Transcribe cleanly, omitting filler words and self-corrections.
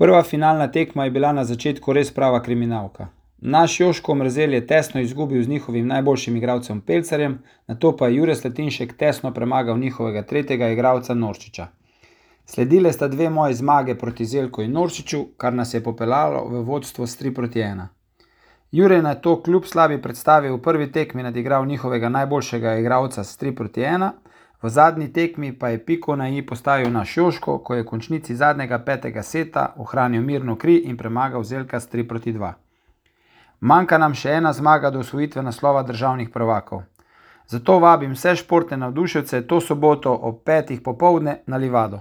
Prva finalna tekma je bila na začetku res prava kriminalka. Naš Joško Mrzelj je tesno izgubil z njihovim najboljšim igralcem Pelcarjem, nato pa je Jure Slatinšek tesno premagal njihovega tretjega igralca Noršiča. Sledile sta dve moje zmage proti Zelku in Noršiču, kar nas je popeljalo v vodstvo s 3-1. Jure je nato kljub slabi predstavi v prvi tekmi nadigral njihovega najboljšega igralca s 3-1, v zadnji tekmi pa je piko na i postavil naš Joško, ko je v končnici zadnjega 5. seta ohranil mirno kri in premagal Zelka s 3-2. Manjka nam še ena zmaga do osvojitve naslova državnih prvakov. Zato vabim vse športne navdušence to soboto ob 5. popoldne na Livado.